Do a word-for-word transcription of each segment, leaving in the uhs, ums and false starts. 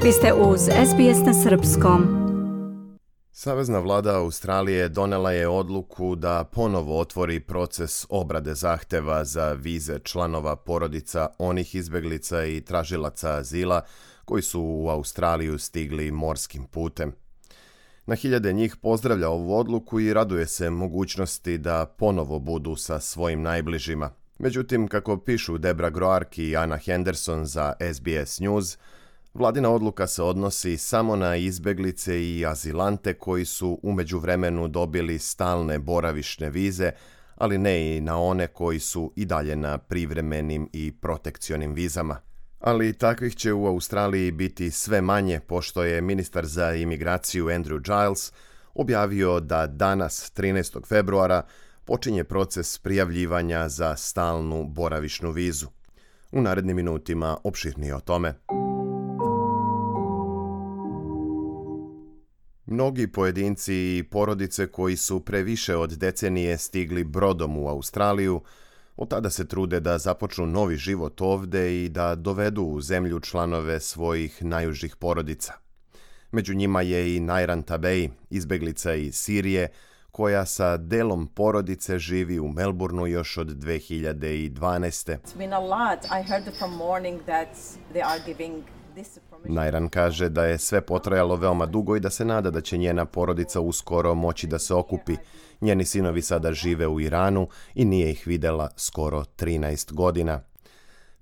Vi ste uz S B S na srpskom. Savezna vlada Australije donela je odluku da ponovo otvori proces obrade zahteva za vize članova porodica onih izbeglica i tražilaca azila koji su u Australiju stigli morskim putem. Na hiljade njih pozdravlja ovu odluku i raduje se mogućnosti da ponovo budu sa svojim najbližima. Međutim, kako pišu Debra Groark i Anna Henderson za S B S News, vladina odluka se odnosi samo na izbeglice i azilante koji su u međuvremenu dobili stalne boravišne vize, ali ne i na one koji su i dalje na privremenim i protekcionim vizama. Ali takvih će u Australiji biti sve manje, pošto je ministar za imigraciju Andrew Giles objavio da danas, trinaestog februara, počinje proces prijavljivanja za stalnu boravišnu vizu. U narednim minutima opširnije o tome. Mnogi pojedinci i porodice koji su pre više od decenije stigli brodom u Australiju, od tada se trude da započnu novi život ovde i da dovedu u zemlju članove svojih najužih porodica. Među njima je i Nairan Tabei, izbeglica iz Sirije, koja sa delom porodice živi u Melbourneu još od dve hiljade dvanaeste. Nairan kaže da je sve potrajalo veoma dugo i da se nada da će njena porodica uskoro moći da se okupi. Njeni sinovi sada žive u Iranu i nije ih videla skoro trinaest godina.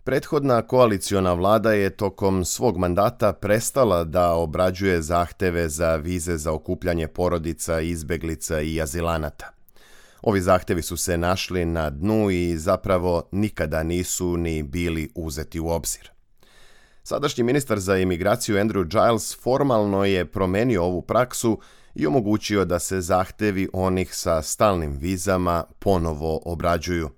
Prethodna koaliciona vlada je tokom svog mandata prestala da obrađuje zahteve za vize za okupljanje porodica, izbeglica i azilanata. Ovi zahtevi su se našli na dnu i zapravo nikada nisu ni bili uzeti u obzir. Sadašnji ministar za imigraciju Andrew Giles formalno je promenio ovu praksu i omogućio da se zahtevi onih sa stalnim vizama ponovo obrađuju.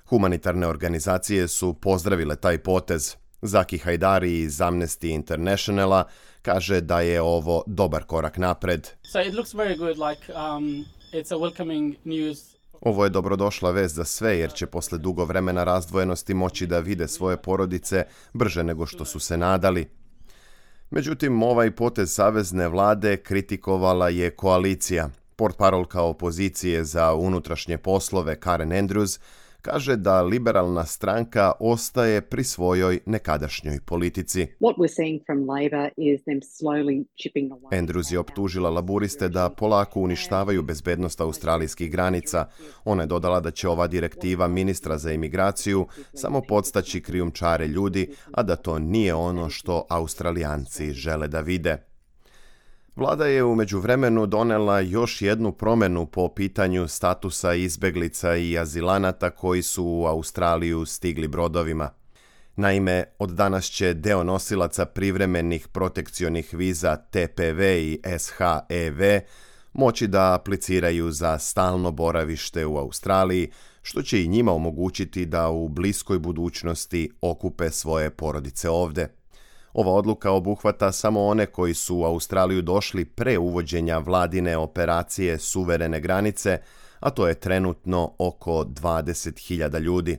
Humanitarne organizacije su pozdravile taj potez. Zaki Hajdari iz Amnesty Internationala kaže da je ovo dobar korak napred. So it looks very good, like um, it's a welcoming news. Ovo je dobrodošla vest za sve, jer će posle dugo vremena razdvojenosti moći da vide svoje porodice brže nego što su se nadali. Međutim, ovaj potez savezne vlade kritikovala je koalicija. Portparolka opozicije za unutrašnje poslove Karen Andrews kaže da liberalna stranka ostaje pri svojoj nekadašnjoj politici. Andrews je optužila laburiste da polako uništavaju bezbednost australijskih granica. Ona je dodala da će ova direktiva ministra za imigraciju samo podstaći krijumčare ljudi, a da to nije ono što Australijanci žele da vide. Vlada je u međuvremenu donela još jednu promjenu po pitanju statusa izbeglica i azilanata koji su u Australiju stigli brodovima. Naime, od danas će deo nosilaca privremenih protekcionih viza T P V i S H E V moći da apliciraju za stalno boravište u Australiji, što će i njima omogućiti da u bliskoj budućnosti okupe svoje porodice ovde. Ova odluka obuhvata samo one koji su u Australiju došli pre uvođenja vladine operacije suverene granice, a to je trenutno oko dvadeset hiljada ljudi.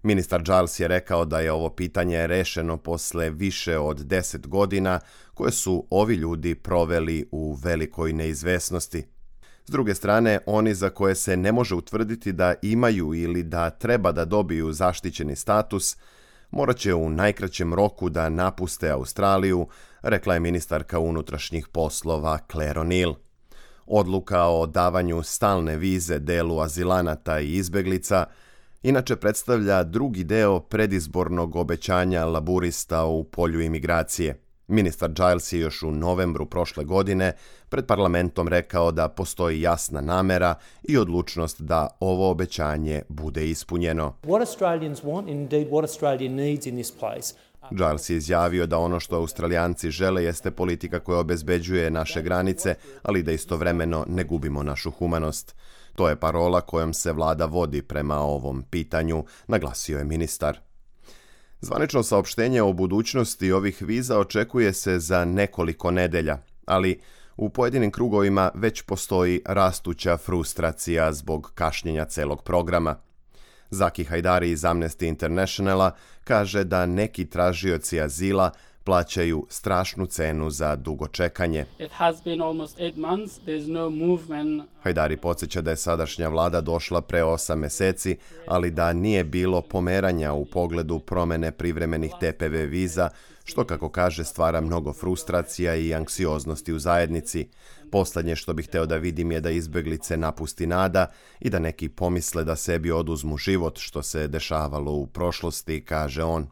Ministar Giles je rekao da je ovo pitanje rešeno posle više od deset godina koje su ovi ljudi proveli u velikoj neizvesnosti. S druge strane, oni za koje se ne može utvrditi da imaju ili da treba da dobiju zaštićeni status, morat će u najkraćem roku da napuste Australiju, rekla je ministarka unutrašnjih poslova Claire O'Neill. Odluka o davanju stalne vize delu azilanata i izbeglica inače predstavlja drugi deo predizbornog obećanja laburista u polju imigracije. Ministar Giles je još u novembru prošle godine pred parlamentom rekao da postoji jasna namera i odlučnost da ovo obećanje bude ispunjeno. What Australians want, indeed what Australia needs in this place. Giles je izjavio da ono što Australijanci žele jeste politika koja obezbeđuje naše granice, ali da istovremeno ne gubimo našu humanost. To je parola kojom se vlada vodi prema ovom pitanju, naglasio je ministar. Zvanično saopštenje o budućnosti ovih viza očekuje se za nekoliko nedelja, ali u pojedinim krugovima već postoji rastuća frustracija zbog kašnjenja celog programa. Zaki Hajdari iz Amnesty Internationala kaže da neki tražioci azila plaćaju strašnu cenu za dugo čekanje. It has been almost eight months. There's no movement. Hajdari podsjeća da je sadašnja vlada došla pre osam meseci, ali da nije bilo pomeranja u pogledu promene privremenih T P V viza, što, kako kaže, stvara mnogo frustracija i anksioznosti u zajednici. Poslednje što bih hteo da vidim je da izbeglice napusti nada i da neki pomisle da sebi oduzmu život, što se dešavalo u prošlosti, kaže on.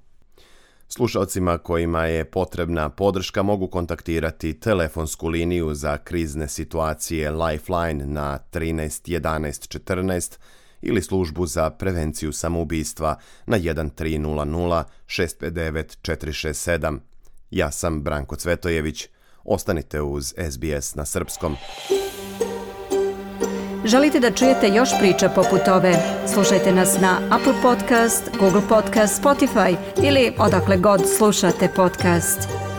Slušalcima kojima je potrebna podrška mogu kontaktirati telefonsku liniju za krizne situacije Lifeline na trinaest jedanaest četrnaest ili službu za prevenciju samoubistva na jedan tri nula nula šest pet devet četiri šest sedam. Ja sam Branko Cvetojević. Ostanite uz S B S na srpskom. Želite da čujete još priča poput ove? Slušajte nas na Apple Podcast, Google Podcast, Spotify ili odakle god slušate podcast.